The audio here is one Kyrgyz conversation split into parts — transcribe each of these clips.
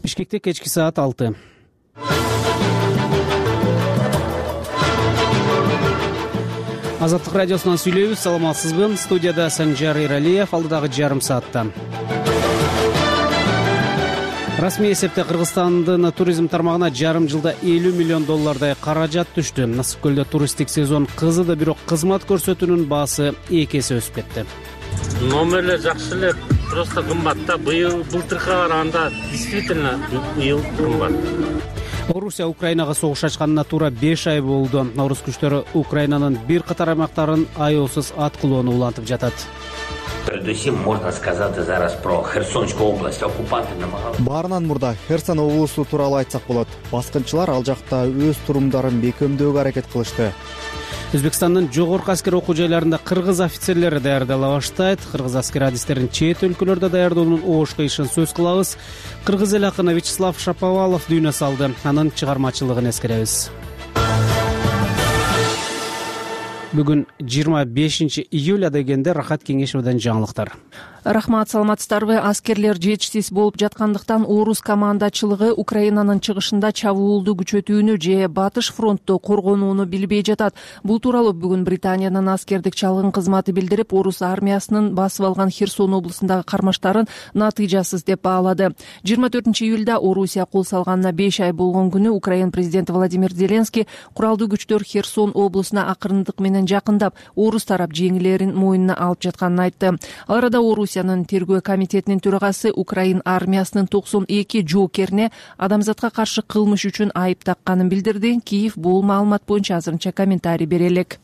Бишкекте кечки саат 6. Азаттык радиосунан сүйлөйбүз. Саламатсызбы? Студияда Санжар Иралиев. Алдыдагы жарым саатта расмий эсепте Кыргызстандын туризм тармагына жарым жылда $50 миллион каражат түштү. Насып көлдө туристтик сезон кызыды, бирок кызмат көрсөтүүнүн баасы 2 эсе өсүп кетти. Номерлер жакшы эле, просто кымбат да. Былтыркыга караганда действительно быйыл кымбат. Орусия Украинага согуш ачканына туура 5 ай болду. Орус күчтөрү Украинанын бир катар аймактарын аеосуз аткылоону улантып жатат. Передусим можно сказать зараз про Херсонскую область. Оккупанты намагались. Баарынан мурда Херсон облусу тууралуу айтсак болот. Баскынчылар ал жакта өз турумдарын бекемдөөгө аракет кылышты. Өзбекстандын жогорку аскер окуу жайларында кыргыз офицерлери даярдала баштайт. Кыргыз аскер адистерин чет өлкөлөрдө даярдоонун оош кыйышын сөз кылабыз. Кыргыз эл акыны Вячеслав Шаповалов дүйнө салды. Анын чыгармачылыгын эскеребиз. Бүгүн 25 июль дегенде Рахат Кеңешовдон жаңылыктар. Рахмат, саламатсыздарбы? Аскерлер жетишсиз болуп жаткандыктан орус командачылыгы Украинанын чыгышында чабуулду күчөтүүнү же батыш фронтту коргонууну билбей жатат. Бул тууралуу бүгүн Британиянын аскердик чалгын кызматы билдирип, орус армиясынын басып алган Херсон облусундагы кармаштарын натыйжасыз деп баалады. 24 июлда Орусия кол салганына 5 ай болгон күнү Украин президенти Владимир Зеленский куралдуу күчтөр Херсон облусуна акырындык менен жакындап, орус тарап жеңилерин мойнуна алып жатканын айтты. Ал арада Орусиянын тергөө комитетинин төрагасы Украин армиясынын 92 жоокерине адамзатка каршы кылмыш үчүн айып такканын билдирди. Киев бул маалымат боюнча азырынча комментарий бере элек.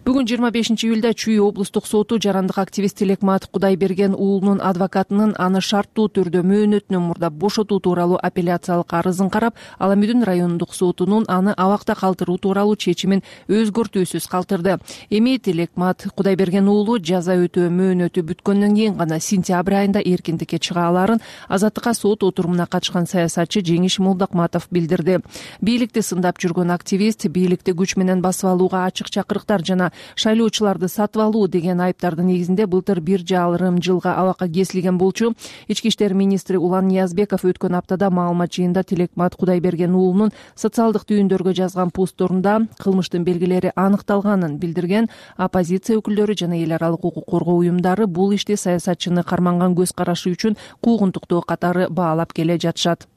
Бүгүн 25 июлда Чүй облустук соту жарандык активист Телекмат Кудайберген уулунун адвокатынын аны шарттуу түрдө мөөнөтүнөн мурда бошотуу тууралуу апелляциялык арызын карап, Аламүдүн райондук сотунун аны абакта калтыруу тууралуу чечимин өзгөртүүсүз калтырды. Эми Телекмат Кудайберген уулу жаза өтөө мөөнөтү бүткөндөн кийин гана сентябрь айында эркиндикке чыга аларын Азаттыкка сот отурумуна катышкан саясатчы Жеңиш Молдокматов билдирди. Бийликти сындап жүргөн активист бийликти күч менен басып алууга ачык чакырыктар жана шайлоочуларды сатып алуу деген айыптардын негизинде былтыр 1,5 жылга абакка кесилген болчу. Ички иштер министри Улан Ниязбеков өткөн аптада маалымат жыйында Телекмат Кудайберген уулунун социалдык түйүндөргө жазган постторунда кылмыштын белгилери аныкталганын билдирген. Оппозиция өкүлдөрү жана эл аралык укук коргоо уюмдары бул ишти саясатчыны карманган көз карашы үчүн куугунтуктоо катары баалап келе жатышат.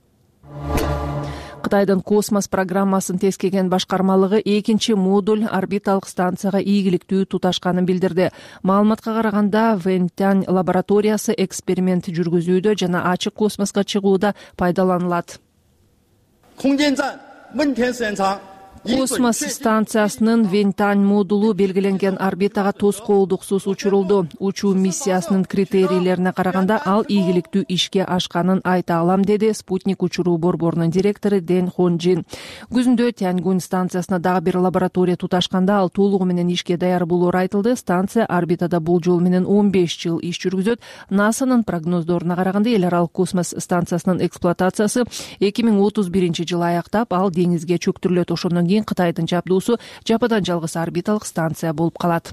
Кытайдын космос программасын тескеген башкармалыгы 2-модуль орбиталык станцияга ийгиликтүү туташканын билдирди. Маалыматка караганда, Вэньтянь лабораториясы эксперимент жүргүзүүдө жана ачык космоско чыгууда пайдаланылат. Космос станциясынын Вэньтянь модулу белгиленген орбитага тоскоолдуксуз учурулду. Учуу миссиясынын критерийлерине караганда ал ийгиликтүү ишке ашканын айта алам, деди Спутник учуруу борборунун директору Дэн Хонжин. Күзүндө Тяньгунь станциясына дагы бир лаборатория туташканда ал толугу менен ишке даяр болоору айтылды. Станция орбитада болжол менен 15 жыл иш жүргүзөт. НАСАнын прогноздоруна караганда эл аралык космос станциясынын эксплуатациясы 2031 жылы аяктап, ал деңизге чөктүрүлөт. Ошондон Кытайдын жабдуусу жападан жалгыз орбиталык станция болуп калат.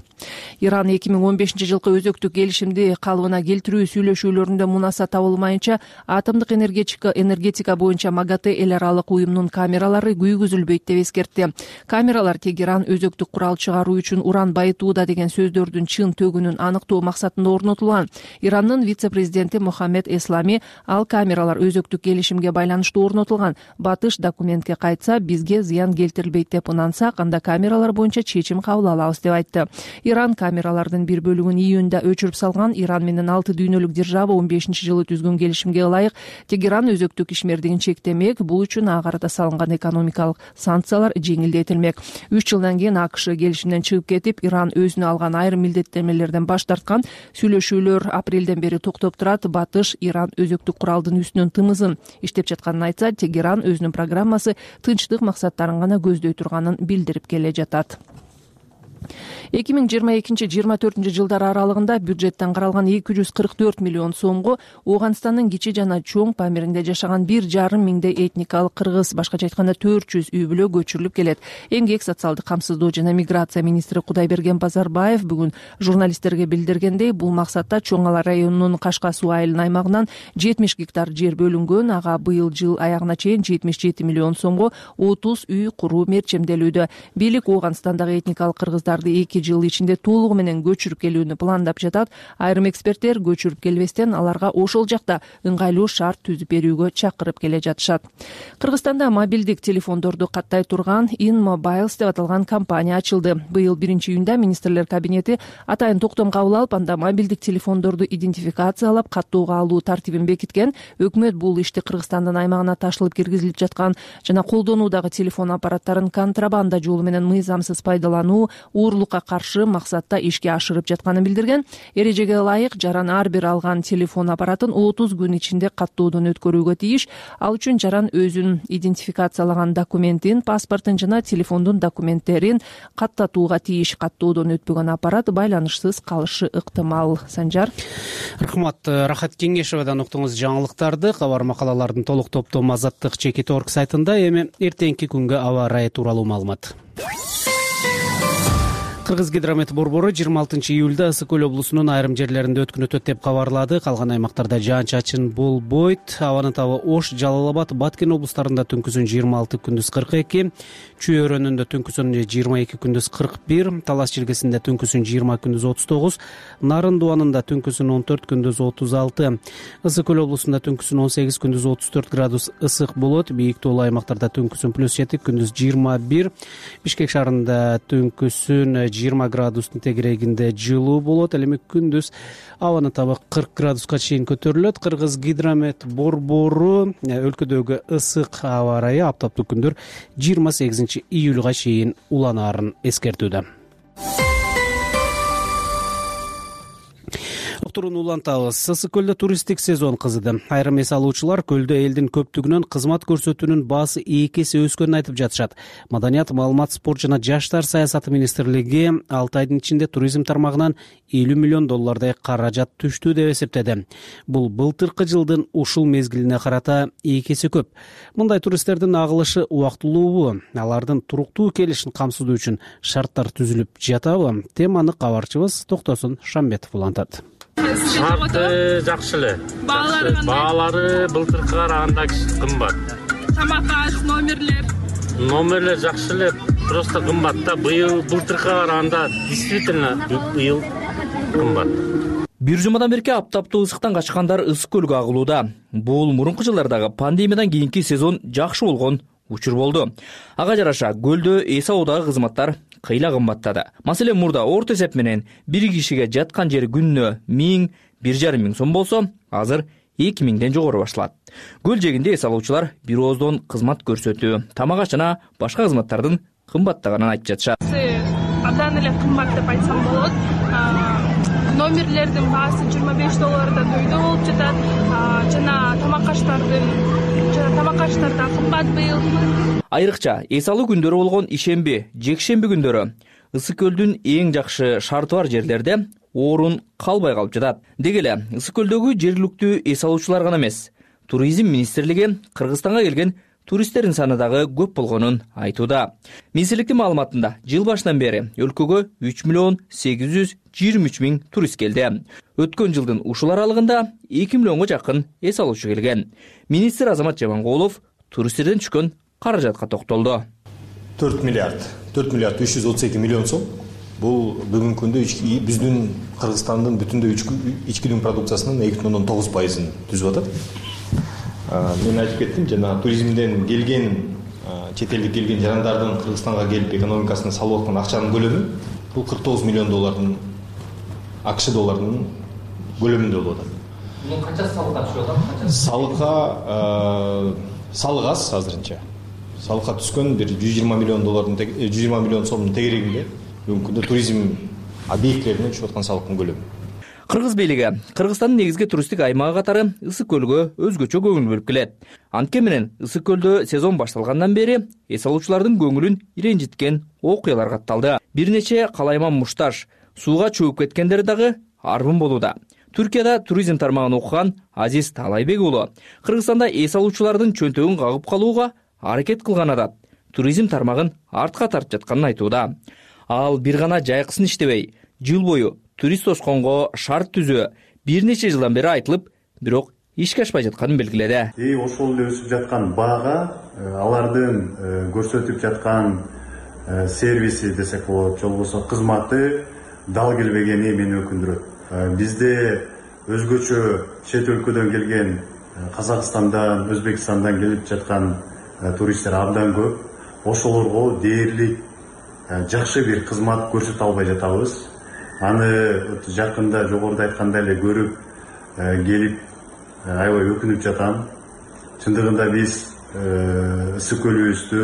Иран 2015 жылкы өзөктүк келишимди калыбына келтирүү сүйлөшүүлөрүндө мунаса табылмайынча атомдук энергетика боюнча МАГАТЭ эл аралык уюмунун камералары күйгүзүлбөйт деп эскертти. Камералар Тегеран өзөктүк курал чыгаруу үчүн уран байытууда деген сөздөрдүн чын төгүнүн аныктоо максатында орнотулган. Ирандын вице-президенти Мохаммед Эслами ал камералар өзөктүк келишимге байланыштуу орнотулган. Батыш документке кайтса, бизге зыян келтирилбейт деп ынансак, анда камералар боюнча чечим кабыл алабыз деп айтты. Иран камералардын бир бөлүгүн июнда өчүрүп салган. Иран менен 6 дүйнөлүк держава 15 жылы түзгөн келишимге ылайык Тегеран өзөктүк ишмердигин чектемек. Бул үчүн ага карата салынган экономикалык санкциялар жеңилдетилмек. 3 жылдан кийин АКШ келишимден чыгып кетип, Иран өзүнө алган айрым милдеттенмелерден баш тарткан. Сүйлөшүүлөр апрелден бери токтоп турат. Батыш Иран өзөктүк куралдын үстүнөн тымызын иштеп жатканын айтса, Тегеран өзүнүн программасы тынчтык максаттарын гана көздөй турганын билдирип келе жатат. 2022-2024 жылдар аралыгында бюджеттен каралган 244 миллион сомго Ооганстандын кичи жана чоң Памиринде жашаган 1,5 миңдей этникалык кыргыз, башкача айтканда 400 үй бүлө көчүрүлүп келет. Эмгек, социалдык камсыздоо жана миграция министри Кудайберген Базарбаев бүгүн журналисттерге билдиргендей, бул максатта Чоң Ала районунун Кашка суу айылын аймагынан 70 гектар жер бөлүнгөн. Ага быйыл жыл аягына чейин 77 миллион сомго 30 үй куруу мерчемделүүдө. Бийлик Ооганстандагы этникалык кыргыздарды 2 жыл ичинде толугу менен көчүрүп келүүнү пландап жатат. Айрым эксперттер көчүрүп келбестен аларга ошол жакта ыңгайлуу шарт түзүп берүүгө чакырып келе жатышат. Кыргызстанда мобилдик телефондорду каттай турган InMobiles деп аталган компания ачылды. Быйыл 1-июнда министрлер кабинети атайын токтом кабыл алып, анда мобилдик телефондорду идентификациялап каттоого алуу тартибин бекиткен. Өкмөт бул ишти Кыргызстандын аймагына ташылып киргизилип жаткан жана колдонуудагы телефон аппараттарын контрабанда жолу менен мыйзамсыз пайдалануу, уурлукка каршы максатта ишке ашырып жатканын билдирген. Эрежеге ылайык жаран ар бир алган телефон аппаратын 30 күн ичинде каттоодон өткөрүүгө тийиш. Ал үчүн жаран өзүн идентификациялаган документин, паспортун жана телефондун документтерин каттатууга тийиш. Каттоодон өтпөгөн аппарат байланышсыз калышы ыктымал. Санжар. Рахмат. Рахат Кеңешевадан уктуңуз жаңылыктарды. Кабар макалалардын толук топтому Азаттык.org сайтында. Эми эртеңки күнгө аба ырайы тууралуу маалымат. Кыргыз гидромет борбору 26 июлда Ысык көл облусунун айрым жерлеринде өткүн өтөт деп кабарлады. Калган аймактарда жаан-чачын болбойт. Абанын табы Ош, Жалал Абад, Баткен облустарында түнкүсүн 26, күндүз 42, Чүй өрөөнүндө түнкүсүн 22, күндүз 41, Талас жергесинде түнкүсүн 20, күндүз 39, Нарын Дуанында түнкүсүн 14, күндүз 36, Ысык көл облусунда түнкүсүн 18, күндүз 34 градус ысык болот. Бийик тоолуу аймактарда түнкүсүн +7, күндүз 21, Бишкек шаарында түнкүсүн 20 градустун тегерегинде жылуу болот. Эми күндүз абанын табы 40 градуска чейин көтөрүлөт. Кыргыз гидромет борбору өлкөдөгү ысык аба ырайы аптаптык күндөр 28 июлга чейин уланаарын эскертүүдө. Уктурууну улантабыз. Ысык көлдө туристтик сезон кызыды. Айрым эс алуучулар көлдө элдин көптүгүнөн кызмат көрсөтүүнүн баасы 2 эсе өскөнүн айтып жатышат. Маданият, маалымат, спорт жана жаштар саясаты министрлиги 6 айдын ичинде туризм тармагынан $50 миллион каражат түштү деп эсептеди. Бул былтыркы жылдын ушул мезгилине карата 2 эсе көп. Мындай туристтердин агылышы убактылуубу? Алардын туруктуу келишин камсыздоо үчүн шарттар түзүлүп жатабы? Теманы кабарчыбыз Токтосун Шамбетов улантат. Шарты жакшы эле. Баалары былтыркыга караганда кымбат. Тамак аш, номерлер жакшы эле, просто кымбат да. Быйыл былтыркыга караганда действительно быйыл кымбат. Бир жумадан берки аптаптуу ысыктан качкандар Ысык көлгө агылууда. Бул мурунку жылдардагы пандемиядан кийинки сезон жакшы болгон учур болду. Ага жараша көлдө эс алуудагы кызматтар кыйла кымбаттады. Маселен, мурда орто эсеп менен бир кишиге жаткан жер күнүнө 1000–1,5 миң сом болсо, азыр 2 миңден жогору башалат. Көл жээгинде эс алуучулар бир ооздон кызмат көрсөтүү, тамак аш жана башка кызматтардын кымбаттаганын айтып жатышат. Абдан эле кымбат деп айтсам болот. Номерлердин баасы $25 дөйдө болуп жатат. Жана тамак аштар да кымбат быйыл. Айрыкча эс алуу күндөрү болгон ишемби, жекшемби күндөрү Ысык көлдүн эң жакшы шарты бар жерлерде орун калбай калып жатат. Деги эле Ысык көлдөгү жергиликтүү эс алуучулар гана эмес, туризм министрлиги Кыргызстанга келген туристтердин саны дагы көп болгонун айтууда. Министрликтин маалыматында жыл башынан бери өлкөгө 3,823,000 турист келди. Өткөн жылдын ушул аралыгында 2 миллионго жакын эс алуучу келген. Министр Азамат Жамангулов туристтерден түшкөн каражатка токтолду. 4 миллиард 332 миллион сом. Бул бүгүнкү күндө биздин Кыргызстандын бүтүндөй ичкидин продукциясынын 2,9%-ын түзүп атат. Мен айтып кеттим, жана туризмден келген, чет элдик келген жарандардын Кыргызстанга келип экономикасына салып аткан акчанын көлөмү бул $49 миллион АКШ долларынын көлөмүндө болуп атат. Мунун канча салыкка түшүп атат? Салык аз азырынча. Салыкка түскөн бир $120 миллион сомдун тегерегинде бүгүнкү күндө туризм объектилерине түшүп аткан салыктын көлөмү. Кыргыз бийлиги Кыргызстандын негизги туристтик аймагы катары Ысык көлгө өзгөчө көңүл бөлүп келет. Анткени менен Ысык көлдө сезон башталгандан бери эс алуучулардын көңүлүн иренжиткен окуялар катталды. Бир нече калайман мушташ, сууга чөөп кеткендер дагы арбын болууда. Түркияда туризм тармагын окуган Азиз Талайбек уулу Кыргызстанда эс алуучулардын чөнтөгүн кагып калууга аракет кылган атат. Туризм тармагын артка тартып жатканын айтууда. Ал бир гана жайкысын иштебей, жыл бою турист тосконго шарт түзүү бир нече жылдан бери айтылып, бирок ишке ашпай жатканын белгиледи. Ошол эле өсүп жаткан баага алардын көрсөтүп жаткан сервиси десек болот, же болбосо кызматы дал келбегени мени өкүндүрөт. Бизде өзгөчө чет өлкөдөн келген Казакстандан, Өзбекстандан келип жаткан туристтер абдан көп. Ошолорго дээрлик жакшы бир кызмат көрсөтө албай жатабыз. Аны жакында жогоруда айткандай эле көрүп келип аябай өкүнүп жатам. Чындыгында биз Ысык көлүбүздү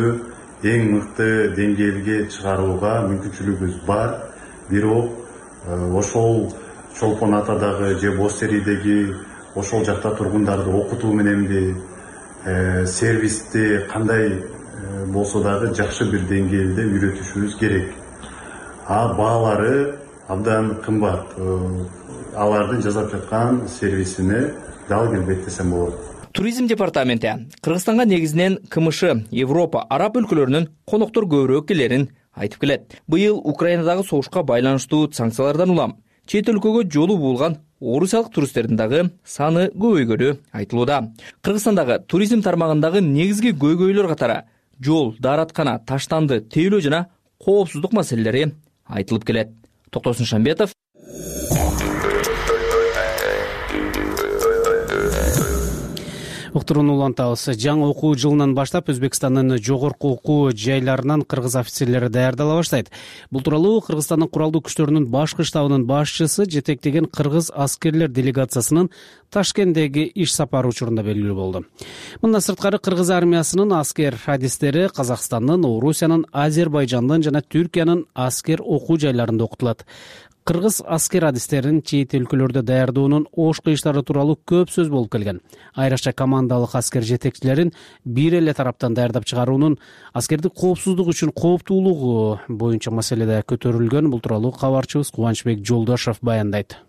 эң мыкты деңгээлге чыгарууга мүмкүнчүлүгүбүз бар. Бирок ошол Чолпон Атадагы же Боз Теридеги ошол жакта тургундарды окутуу мененби сервисти кандай болсо дагы жакшы бир деңгээлде үйрөтүшүбүз керек. Баалары абдан кымбат. Алардын жасап жаткан сервисине дал келбейт десем болот. Туризм департаменти Кыргызстанга негизинен КМШ, Европа, араб өлкөлөрүнүн коноктор көбүрөөк келерин айтып келет. Быйыл Украинадагы согушка байланыштуу санкциялардан улам чет өлкөгө жолу булган орусиялык туристтердин дагы саны көбөйгөнү айтылууда. Кыргызстандагы туризм тармагындагы негизги көйгөйлөр катары жол, даараткана, таштанды, тейлөө жана коопсуздук маселелери айтылып келет. Токтосун Шамбетов. Уктурууну улантабыз. Жаңы окуу жылынан баштап Өзбекстандын жогорку окуу жайларынан кыргыз офицерлери даярдала баштайт. Бул тууралуу Кыргызстандын куралдуу күчтөрүнүн башкы штабынын башчысы жетектеген кыргыз аскерлер делегациясынын Ташкенттеги иш сапары учурунда белгилүү болду. Мындан сырткары кыргыз армиясынын аскер адистери Казакстандын, Орусиянын, Азербайжандын жана Түркиянын аскер окуу жайларында окутулат. Кыргыз аскер адистерин чет өлкөлөрдө даярдоонун ош кыйыштары тууралуу көп сөз болуп келген. Айрыкча командалык аскер жетекчилерин бир эле тараптан даярдап чыгаруунун аскердик коопсуздук үчүн кооптуулугу боюнча маселеде көтөрүлгөн. Бул тууралуу кабарчыбыз Кубанычбек Жолдошов баяндайт.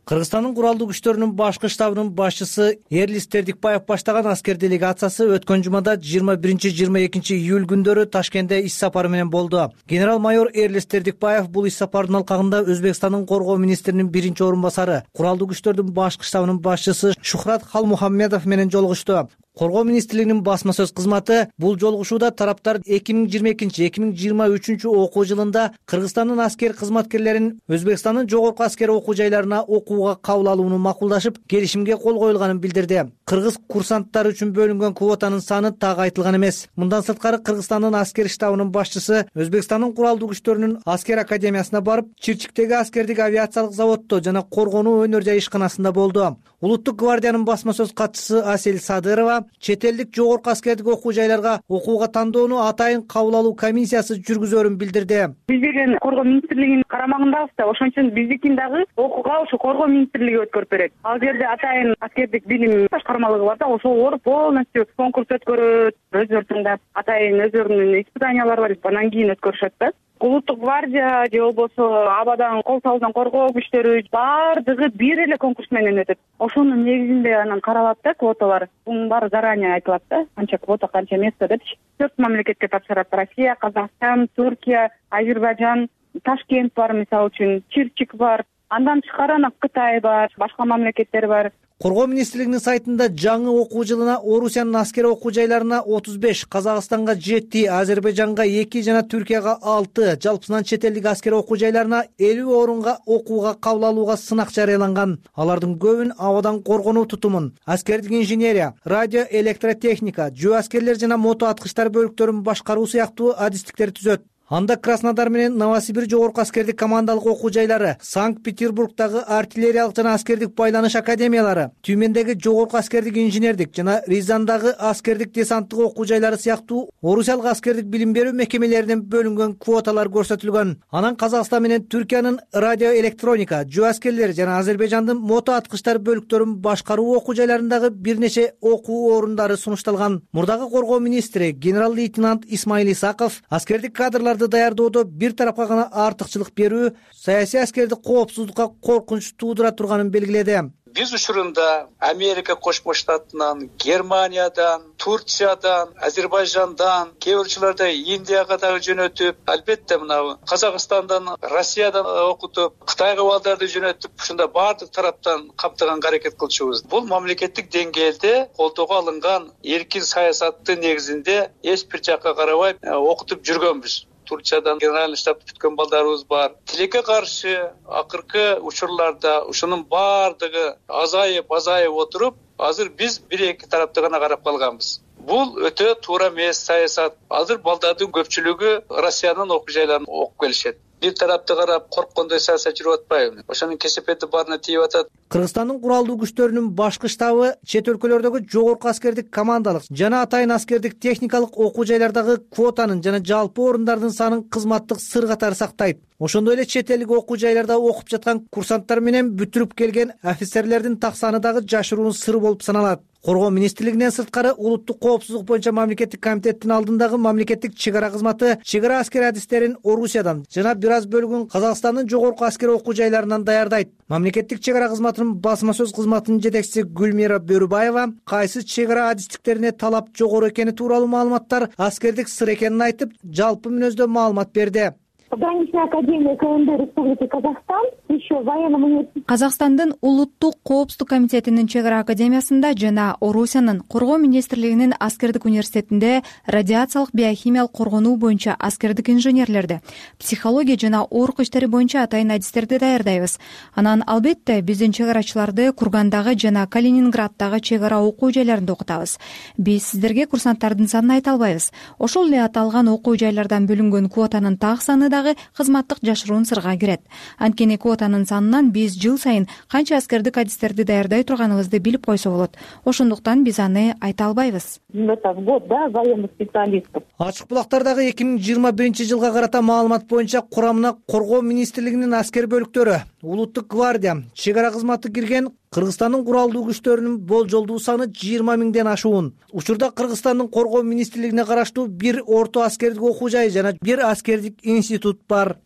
Кыргызстандын куралдуу күчтөрүнүн башкы штабынын башчысы Эрлис Тердикбаев баштаган аскер делегациясы өткөн жумада 21-22 июль күндөрү Ташкентте иш сапары менен болду. Генерал-майор Эрлис Тердикбаев бул иш сапардын алкагында Өзбекстандын коргоо министринин биринчи орун басары, куралдуу күчтөрдүн башкы штабынын башчысы Шухрат Халмухаммедов менен жолугушту. Коргоо министрлигинин басма сөз кызматы бул жолугушууда тараптар 2022-2023 окуу жылында Кыргызстандын аскер кызматкерлерин Өзбекстандын жогорку аскер окуу жайларына окууга кабыл алууну макулдашып, келишимге кол коюлганын билдирди. Кыргыз курсанттары үчүн бөлүнгөн квотанын саны так айтылган эмес. Мындан сырткары Кыргызстандын аскер штабынын башчысы Өзбекстандын куралдуу күчтөрүнүн аскер академиясына барып, Чирчиктеги аскердик авиациялык заводдо жана коргонуу өнөр жай ишканасында болду. Улуттук гвардиянын басма сөз катчысы Асель Садырова чет элдик жогорку аскердик окуу жайларга окууга тандоону атайын кабыл алуу комиссиясы жүргүзөрүн билдирди. Биз деген коргоо министрлигинин карамагындабыз да, ошон үчүн биздикин дагы окууга ошо коргоо министрлиги өткөрүп берет. Ал жерде атайын аскердик билим башкармалыгы бар да, ошолор полностью конкурс өткөрөт, өздөрү тандап, атайын өздөрүнүн испытаниялары бар, анан кийин өткөрүшөт да. Улуттук гвардия же болбосо абадан кол салуудан коргоо күчтөрү баардыгы бир эле конкурс менен өтөт. Ошонун негизинде анан каралат да квоталар. Бунун баары заранее айтылат да, канча квота, канча место депчи. 4 мамлекетке тапшырат: Россия, Казакстан, Түркия, Азербайжан, Ташкент бар мисалы үчүн, Чирчик бар. Андан тышкары анан Кытай бар, башка мамлекеттер бар. Коргоо министрлигинин сайтында жаңы окуу жылына Орусиянын аскер окуу жайларына 35, Казакстанга 7, Азербайжанга 2 жана Түркияга 6, жалпысынан чет элдик аскер окуу жайларына 50 орунга окууга кабыл алууга сынак жарыяланган. Алардын көбүн абадан коргонуу тутумун, аскердик инженерия, радио электротехника, жөө аскерлер жана мото аткычтар бөлүктөрүн башкаруу сыяктуу адистиктер түзөт. Анда Краснодар менен Новосибир жогорку аскердик командалык окуу жайлары, Санкт-Петербургдагы артиллериялык жана аскердик байланыш академиялары, Тюмендеги жогорку аскердик инженердик жана Рязандагы аскердик десанттык окуу жайлары сыяктуу орусиялык аскердик билим берүү мекемелеринен бөлүнгөн квоталар көрсөтүлгөн. Анан Казакстан менен Түркиянын радиоэлектроника, жөө аскерлери жана Азербайжандын мото аткычтар бөлүктөрүн башкаруу окуу жайларындагы бир нече окуу орундары сунушталган. Мурдагы коргоо министри генерал-лейтенант Исмаил Исаков аскердик кадрларды даярдоодо бир тарапка гана артыкчылык берүү саясий аскердик коопсуздукка коркунуч туудура турганын белгиледи. Биз учурунда Америка Кошмо Штатынан, Германиядан, Турциядан, Азербайжандан, кээ бир учурларда Индияга дагы жөнөтүп, албетте мына Казакстандан, Россиядан окутуп, Кытайга балдарды жөнөтүп, ушунда баардык тараптан камтыганга аракет кылчубуз. Бул мамлекеттик деңгээлде колдоого алынган эркин саясаттын негизинде эч бир жакка карабай окутуп жүргөнбүз. Турциядан генеральный штаб бүткөн балдарыбыз бар. Тилекке каршы акыркы учурларда ушунун баардыгы азайып отуруп, азыр биз бир-эки тарапты гана карап калганбыз. Бул өтө туура эмес саясат. Азыр балдардын көпчүлүгү Россиянын окуу жайларын окуп келишет. Бир тарапты карап корккондой саясат жүрүп атпайбы? Ошонун кесепети баарына тийип атат. Кыргызстандын куралдуу күчтөрүнүн башкы штабы чет өлкөлөрдөгү жогорку аскердик командалык жана атайын аскердик техникалык окуу жайлардагы квотанын жана жалпы орундардын санын кызматтык сыр катары сактайт. Ошондой эле чет элдик окуу жайларда окуп жаткан курсанттар менен бүтүрүп келген офицерлердин так саны дагы жашыруун сыр болуп саналат. Коргоо министрлигинен сырткары улуттук коопсуздук боюнча мамлекеттик комитеттин алдындагы мамлекеттик чек ара кызматы чек ара аскер адистерин Орусиядан жана бир аз бөлүгүн Казакстандын жогорку аскер окуу жайларынан даярдайт. Мамлекеттик чек ара кызматынын басма сөз кызматынын жетекчиси Гүлмира Бөрүбаева кайсы чек ара адистиктерине талап жогору экени тууралуу маалыматтар аскердик сыр экенин айтып, жалпы мүнөздө маалымат берди. Пограничная академия КНД Республики Казахстан, еще военном университете. Казакстандын улуттук коопсуздук комитетинин чек ара академиясында жана Орусиянын коргоо министрлигинин аскердик университетинде радиациялык биохимиялык коргонуу боюнча аскердик инженерлерди, психология жана ооруку иштери боюнча атайын адистерди даярдайбыз. Анан албетте биздин чек арачыларды Кургандагы жана Калининграддагы чек ара окуу жайларында окутабыз. Биз сиздерге курсанттардын санын айта албайбыз. Ошол эле аталган окуу жайлардан бөлүнгөн квотанын так саны кызматтык жашыруун сырга кирет. Анткени квотанын санынан биз жыл сайын канча аскердик адистерди даярдай турганыбызды билип койсо болот. Ошондуктан биз аны айта албайбыз. Год, да, военных специалистов. Ачык булактардагы 2021 жылга карата маалымат боюнча курамына коргоо министрлигинин аскер бөлүктөрү, улуттук гвардия, чек ара кызматы кирген Кыргызстандын куралдуу күчтөрүнүн болжолдуу саны 20 миңден ашуун. Учурда Кыргызстандын коргоо министрлигине караштуу бир орто аскердик окуу жай жана бир аскердик институт бар.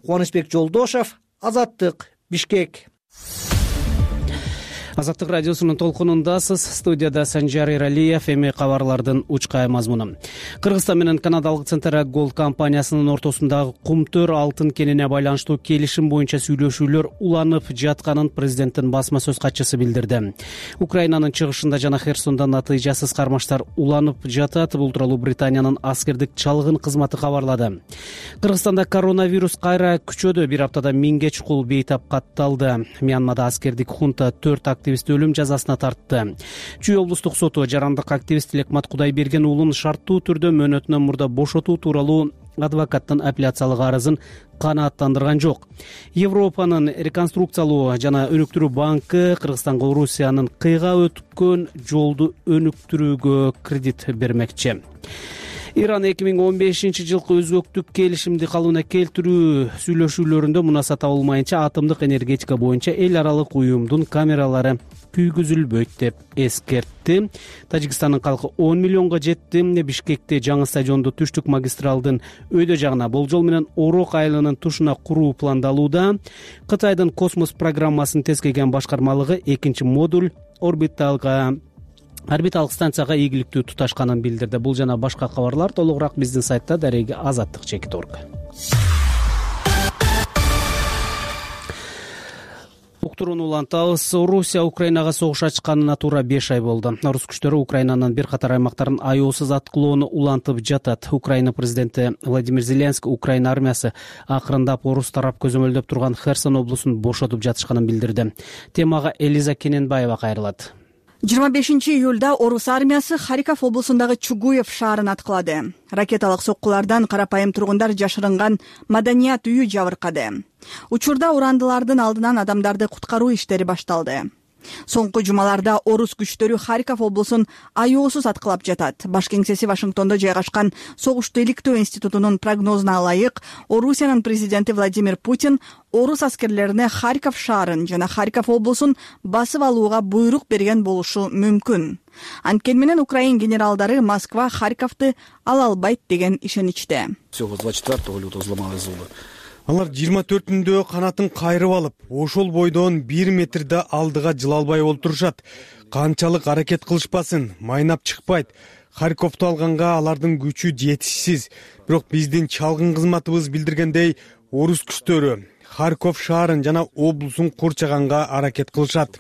Кубанычбек Жолдошев, Азаттык, Бишкек. Азаттык радиосунун толкунундасыз. Студияда Санжар Иралиев. Эми кабарлардын учкай мазмуну. Кыргызстан менен канадалык Центра Голд компаниясынын ортосундагы Кумтөр алтын кенине байланыштуу келишим боюнча сүйлөшүүлөр уланып жатканын президенттин басма сөз катчысы билдирди. Украинанын чыгышында жана Херсонда натыйжасыз кармаштар уланып жатат. Бул тууралуу Британиянын аскердик чалгын кызматы кабарлады. Кыргызстанда коронавирус кайра күчөдө. Бир аптада 1000ге чукул бейтап катталды. Мьянмада аскердик хунта 4 активист өлүм жазасына тартты. Чүй облустук соту жарандык активист Лекмат Кудайберген уулун шарттуу түрдө мөөнөтүнөн мурда бошотуу тууралуу адвокаттын апелляциялык арызын канааттандырган жок. Европанын реконструкциялоо жана өнүктүрүү банкы Кыргызстанга Орусиянын кыйга өткөн жолду өнүктүрүүгө кредит бермекчи. Иран 2015 жылкы өзгөктүк келишимди калыбына келтирүү сүйлөшүүлөрүндө мунаса табылмайынча атомдук энергетика боюнча эл аралык уюмдун камералары күйгүзүлбөйт деп эскертти. Тажикстандын калкы 10 миллионго жетти. Бишкекте жаңы стадионду түштүк магистралдын өйдө жагына болжол менен Орок айылынын тушуна куруу пландалууда. Кытайдын космос программасын тескеген башкармалыгы экинчи модуль орбиталык станцияга ийгиликтүү туташканын билдирди. Бул жана башка кабарлар толугураак биздин сайтта дареги azаттык.org. Уктурууну улантабыз. Орусия Украинага согуш ачканына туура 5 ай болду. Орус күчтөрү Украинанын бир катар аймактарын аяосуз аткылоону улантып жатат. Украина президенти Владимир Зеленский Украина армиясы акырындап орус тарап көзөмөлдөп турган Херсон облусун бошотуп жатышканын билдирди. Темага Элиза Кененбаева кайрылат. 25-июлда орус армиясы Харьков облусундагы Чугуев шаарын аткылады. Ракеталык соккулардан карапайым тургундар жашырынган маданият үйү жабыркады. Учурда урандылардын алдынан адамдарды куткаруу иштери башталды. Соңку жумаларда орус күчтөрү Харьков облусун аеосуз аткылап жатат. Баш кеңсеси Вашингтондо жайгашкан Согушту иликтөө институтунун прогнозуна ылайык, Орусиянын президенти Владимир Путин орус аскерлерине Харьков шаарын жана Харьков облусун басып алууга буйрук берген болушу мүмкүн. Анткени менен Украин генералдары Москва Харьковду ала албайт деген ишеничте. Всего 24 лютого взломали зубы. Алар 24-үндө канатын кайрып алып, ошол бойдон 1 метрде алдыга жыла албай олтурушат. Канчалык аракет кылышпасын, майнап чыкпайт. Харьковду алганга алардын күчү жетишсиз. Бирок биздин чалгын кызматыбыз билдиргендей, орус күчтөрү Харьков шаарын жана облусун курчаганга аракет кылышат.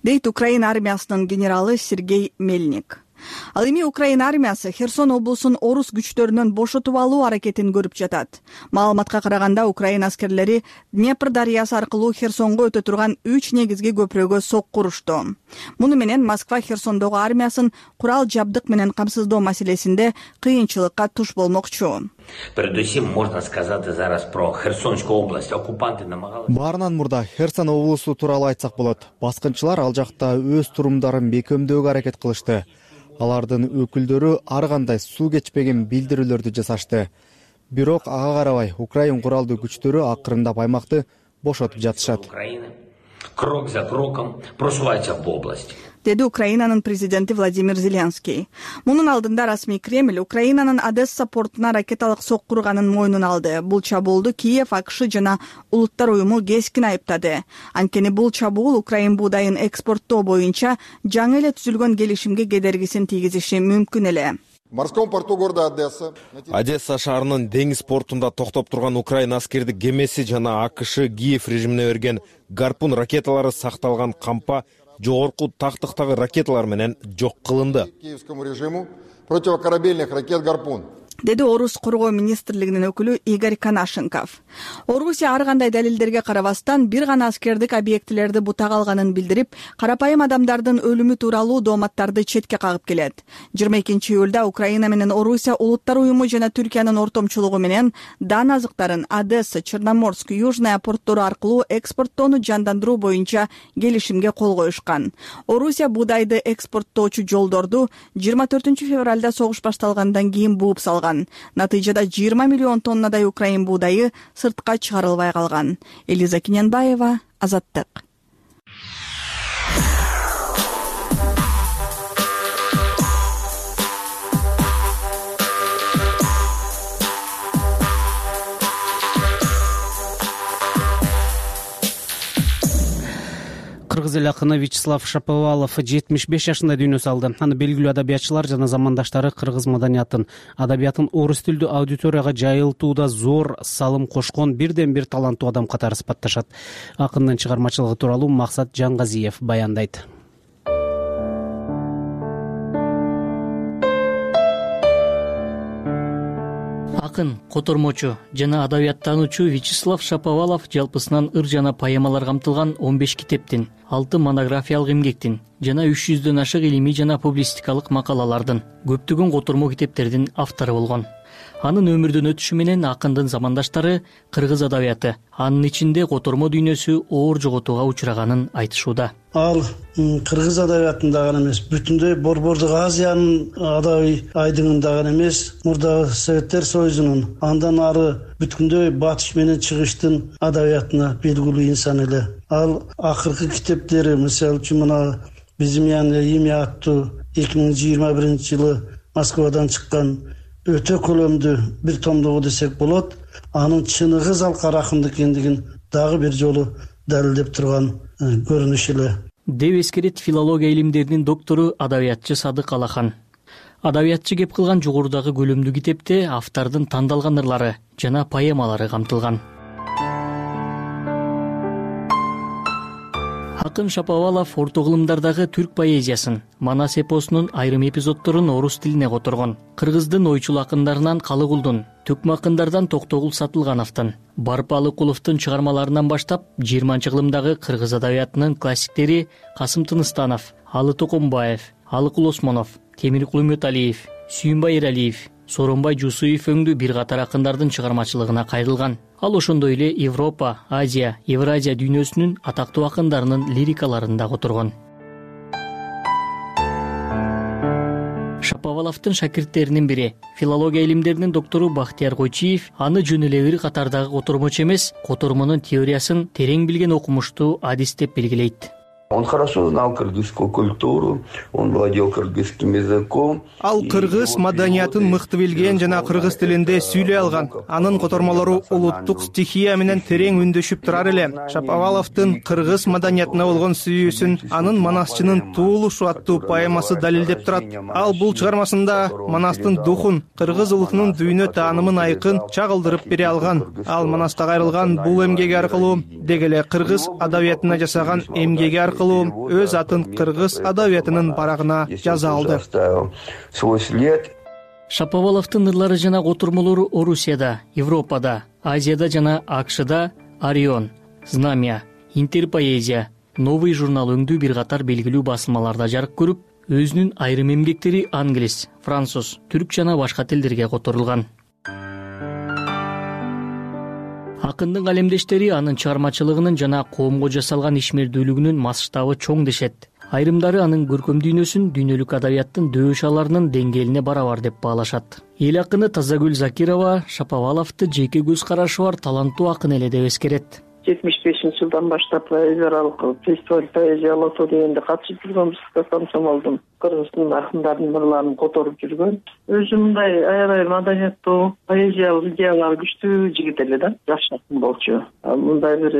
Дейт Украин армиясынын генералы Сергей Мельник. Ал эми Украин армиясы Херсон облусун орус күчтөрүнөн бошотуп алуу аракетин көрүп жатат. Маалыматка караганда Украин аскерлери Днепр дарыясы аркылуу Херсонго өтө турган 3 негизги көпүрөгө сокку урушту. Муну менен Москва Херсондогу армиясын курал жабдык менен камсыздоо маселесинде кыйынчылыкка туш болмокчу. Передусим можно сказать зараз про Херсонскую область. Оккупанты намагалы. Баарынан мурда Херсон облусу тууралуу айтсак болот. Баскынчылар ал жакта өз турумдарын бекемдөөгө аракет кылышты. Алардын өкүлдөрү ар кандай суу кечпеген билдирүүлөрдү жасашты. Бирок ага карабай Украин куралдуу күчтөрү акырындап аймакты бошотуп жатышат. Крок за кроком просувается в область. Деди Украинанын президенти Владимир Зеленский. Мунун алдында расмий Кремль Украинанын Одесса портуна ракеталык сокку урганын мойнуна алды. Бул чабуулду Киев, АКШ жана Улуттар уюму кескин айыптады. Анткени бул чабуул Украин буудайын экспорттоо боюнча жаңы эле түзүлгөн келишимге кедергисин тийгизиши мүмкүн эле. В морском порту города Одесса шаарынын деңиз портунда токтоп турган Украин аскердик кемеси жана АКШ Киев режимине берген гарпун ракеталары сакталган кампа жогорку тактыктагы ракеталар менен жок кылынды. Киевскому режиму противокорабельных ракет «Гарпун». Деди Орус коргоо министрлигинин өкүлү Игорь Канашенков. Орусия ар кандай далилдерге карабастан бир гана аскердик объектилерди бутага алганын билдирип, карапайым адамдардын өлүмү тууралуу дооматтарды четке кагып келет. 22-июлда Украина менен Орусия Улуттар уюму жана Түркиянын ортомчулугу менен дан азыктарын Одесса, Черноморск, Южная порттору аркылуу экспорттоону жандандыруу боюнча келишимге кол коюшкан. Орусия буудайды экспорттоочу жолдорду 24 февралда согуш башталгандан кийин бууп салган. Натыйжада 20 миллион тоннадай Украин буудайы сыртка чыгарылбай калган. Элиза Киненбаева, Азаттык. Кыргыз эл акыны Вячеслав Шаповалов 75 жашында дүйнө салды. Аны белгилүү адабиятчылар жана замандаштары кыргыз маданиятын, адабиятын орус тилдүү аудиторияга жайылтууда зор салым кошкон бирден бир таланттуу адам катары сыпатташат. Акындын чыгармачылыгы тууралуу Максат Жаңгазиев баяндайт. Акын, котормочу жана адабияттануучу Вячеслав Шаповалов жалпысынан ыр жана поэмалар камтылган 15 китептин, 6 монографиялык эмгектин жана 300дөн ашык илимий жана публистикалык макалалардын, көптөгөн котормо китептердин автору болгон. Анын өмүрдөн өтүшү менен акындын замандаштары кыргыз адабияты, анын ичинде котормо дүйнөсү оор жоготууга учураганын айтышууда. Ал кыргыз адабиятында гана эмес, бүтүндөй Борбордук Азиянын адабий айдыңында гана эмес, мурдагы Советтер Союзунун, андан ары бүткүндөй батыш менен чыгыштын адабиятына белгилүү инсан эле. Ал акыркы китептери, мисалы үчүн мына Безымянное имя аттуу 2021-жылы Москвадан чыккан өтө коломдуу бир томдугу десек болот. Анын чыныгы залкар акын экендигин дагы бир жолу далилдеп турган көрүнүш эле. Деп эскерет филология илимдеринин доктору адабиятчы Садык Алахан. Адабиятчы кеп кылган жогорудагы көлөмдүү китепте автордун тандалган ырлары жана поэмалары камтылган. Акын Шаповалов орто кылымдардагы түрк поэзиясын, Манас эпосунун айрым эпизоддорун орус тилине которгон. Кыргыздын ойчул акындарынан Калыгулдун, Төкмө акындардан Токтогул Сатылгановдун, Барып Алыкуловдун чыгармаларынан баштап 20-кылымдагы кыргыз адабиятынын классиктери Касым Тыныстанов, Алы Токомбаев, Алыкул Осмонов, Темиркул Үмөталиев, Сүйүнбай Эралиев, Сооронбай Жусуев өңдүү бир катар акындардын чыгармачылыгына кайрылган. Ал ошондой эле Европа, Азия, Евразия дүйнөсүнүн атактуу акындарынын лирикаларын да которгон. Шаповаловдун шакирттеринин бири, филология илимдеринин доктору Бактияр Койчиев аны жөн эле бир катардагы котормочу эмес, котормонун теориясын терең билген окумуштуу адис деп белгилейт. Он хорошо знал кыргызскую культуру, он владел кыргызским языком. Ал кыргыз маданиятын мыкты билген жана кыргыз тилинде сүйлөй алган. Анын котормолору улуттук стихия менен терең үндөшүп турар эле. Шаповаловдун кыргыз маданиятына болгон сүйүүсүн анын Манасчынын туулушу аттуу поэмасы далилдеп турат. Ал бул чыгармасында Манастын духун, кыргыз улутунун дүйнө таанымын айкын чагылдырып бере алган. Ал Манаста кайрылган бул эмгеги аркылуу деги эле кыргыз адабиятына жасаган эмгеги аркылуу өз атын кыргыз адабиятынын барагына жаза алды. Шаповаловдун ырлары жана котормолору Орусияда, Европада, Азияда жана АКШда Орион, Знамя, Интерпоэзия, Новый журнал өңдүү бир катар белгилүү басылмаларда жарык көрүп, өзүнүн айрым эмгектери англис, француз, түрк жана башка тилдерге которулган. Акындын калемдештери анын чыгармачылыгынын жана коомго жасалган ишмердүүлүгүнүн масштабы чоң дешет. Айрымдары анын көркөм дүйнөсүн дүйнөлүк адабияттын дөшаларынын деңгээлине барабар деп баалашат. Эл акыны Тазагүл Закирова Шаповаловду жеке көз карашы бар таланттуу акын эле деп эскерет. 75-жылдан баштап эл аралык фестиваль поэзия лото дегенде катышып жүргөнбүз комсомолдун. Кыргыздын акындарынын ырларын которуп жүргөн. Өзү мындай аябай маданияттуу, поэзиялык идеялары күчтүү жигит эле да, жаш акын болчу. Мындай бир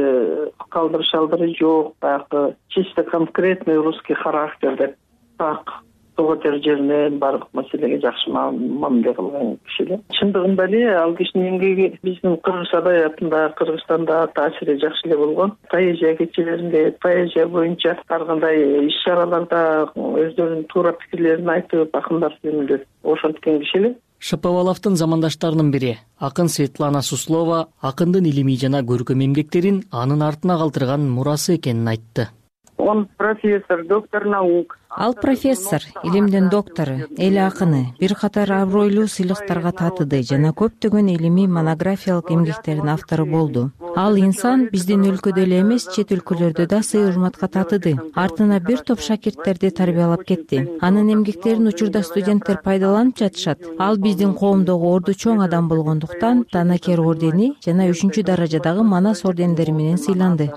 калдырыш-алдыры жок, баягы чисто конкретный русский характер деп так тоготер жеринен баардык маселеге жакшы мамиле кылган киши эле. Чындыгында эле ал кишинин эмгеги биздин кыргыз адабиятында, Кыргызстанда таасири жакшы эле болгон. Поэзия кечелеринде, поэзия боюнча ар кандай иш-чараларда өздөрүнүн туура пикирлерин айтып, акындар жөнүндө ошенткен киши эле. Шаповаловдун замандаштарынын бири, акын Светлана Суслова акындын илимий жана көркөм эмгектерин анын артына калтырган мурасы экенин айтты. Он профессор, доктор наук. Ал профессор, илимдин доктору, эл акыны, бир катар абройлуу сыйлыктарга татыды жана көптөгөн илимий монографиялык эмгектердин автору болду. Ал инсан биздин өлкөдө эле эмес, чет өлкөлөрдө да сый урматка татыды. Артына бир топ шакирттерди тарбиялап кетти. Анын эмгектерин учурда студенттер пайдаланып жатышат. Ал биздин коомдогу орду чоң адам болгондуктан Данакер ордени жана 3 даражадагы Манас ордендери менен сыйланды.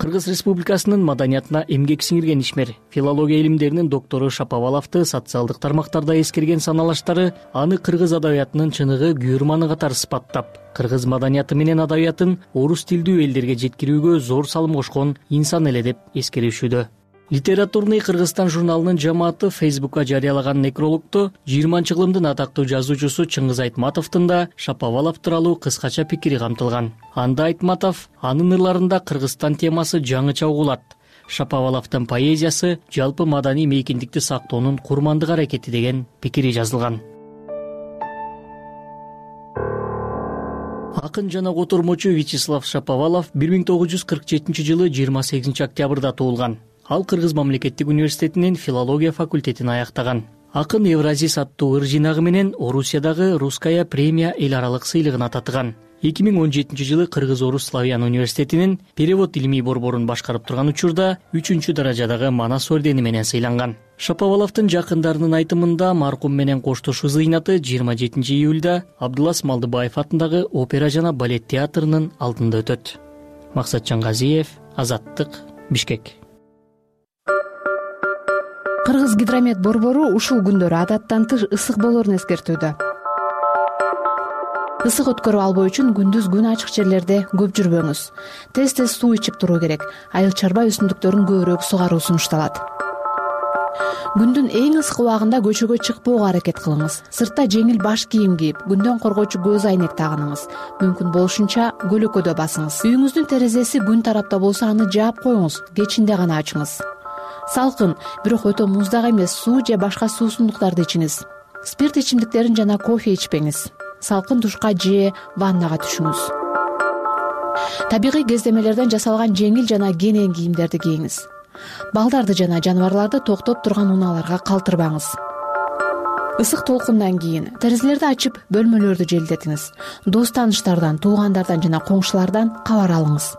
Кыргыз Республикасынын маданиятына эмгек сиңирген ишмер, филология илимдеринин доктору Шаповаловду социалдык тармактарда эскерген саналаштары аны кыргыз адабиятынын чыныгы күйөрманы катары сыпаттап, кыргыз маданияты менен адабиятын орус тилдүү элдерге жеткирүүгө зор салым кошкон инсан эле деп эскеришүүдө. Литературный Кыргызстан журналынын жамааты Фейсбукка жарыялаган некрологдо 20-кылымдын атактуу жазуучусу Чыңгыз Айтматовдун да Шаповалов тууралуу кыскача пикири камтылган. Анда Айтматов анын ырларында Кыргызстан темасы жаңыча угулат. Шаповаловдун поэзиясы жалпы маданий мейкиндикти сактоонун курмандык аракети деген пикири жазылган. Акын жана котормочу Вячеслав Шаповалов 1947-жылы 28 октябрда туулган. Ал Кыргыз мамлекеттик университетинин филология факультетин аяктаган. Акын Евразис аттуу ыр жинагы менен Орусиядагы Русская премия эл аралык сыйлыгына татыган. 2017-жылы Кыргыз-Орус Славян университетинин перевод илимий борборун башкарып турган учурда 3 даражадагы Манас ордени менен сыйланган. Шаповаловдун жакындарынын айтымында маркум менен коштошуу зыйнаты 27 июлда Абдулас Малдыбаев атындагы опера жана балет театрынын алдында өтөт. Максатжан Газиев, Азаттык, Бишкек. Кыргыз гидромет борбору ушул күндөрү адаттан тыш ысык болоорун эскертүүдө. Ысык өткөрүп албоо үчүн күндүз күн ачык жерлерде көп жүрбөңүз. Тез суу ичип туруу керек. Айыл чарба өсүмдүктөрүн көбүрөөк сугаруу сунушталат. күндүн эң ысык убагында көчөгө чыкпоого аракет кылыңыз. Сыртта жеңил баш кийим кийип, күндөн коргоочу көз айнек тагыныңыз. Мүмкүн болушунча көлөкөдө басыңыз. Үйүңүздүн терезеси күн тарапта болсо аны жаап коюңуз, кечинде гана ачыңыз. Салкын, бирок өтө муздак эмес суу же башка суусундуктарды ичиңиз. Спирт ичимдиктерин жана кофе ичпеңиз. Салкын душка же ваннага түшүңүз. Табигый кездемелерден жасалган жеңил жана кенен кийимдерди кийиңиз. Балдарды жана жаныбарларды токтоп турган унааларга калтырбаңыз. Ысык толкундан кийин терезелерди ачып, бөлмөлөрдү желдетиңиз. Дос тааныштардан, туугандардан жана коңшулардан кабар алыңыз.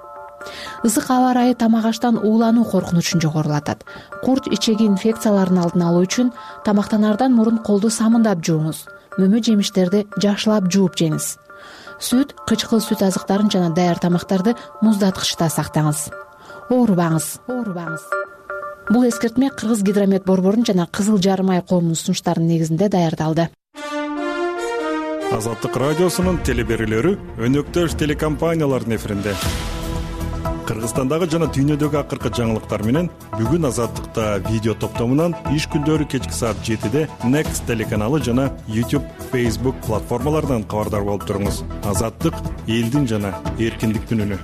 Ысык аба ырайы тамак аштан уулануу коркунучун жогорулатат. Курт ичеги инфекцияларын алдын алуу үчүн тамактанаардан мурун колду самындап жууңуз. Мөмө жемиштерди жакшылап жууп жеңиз. Сүт, кычкыл сүт азыктарын жана даяр тамактарды муздаткычта сактаңыз. Оорубаңыз. Бул эскертме Кыргыз Гидромет борборунун жана Кызыл Жарым ай коомунун сунуштарынын негизинде даярдалды. Азаттык радиосунун телеберүүлөрү өнөктөш телекомпаниялардын эфиринде. Кыргызстандагы жана дүйнөдөгү акыркы жаңылыктар менен бүгүн Азаттыкта видео топтомунан иш күндөрү кечки саат 7-де Next телеканалы жана YouTube, Facebook платформаларынан кабардар болуп туруңуз. Азаттык — элдин жана эркиндиктин үнү.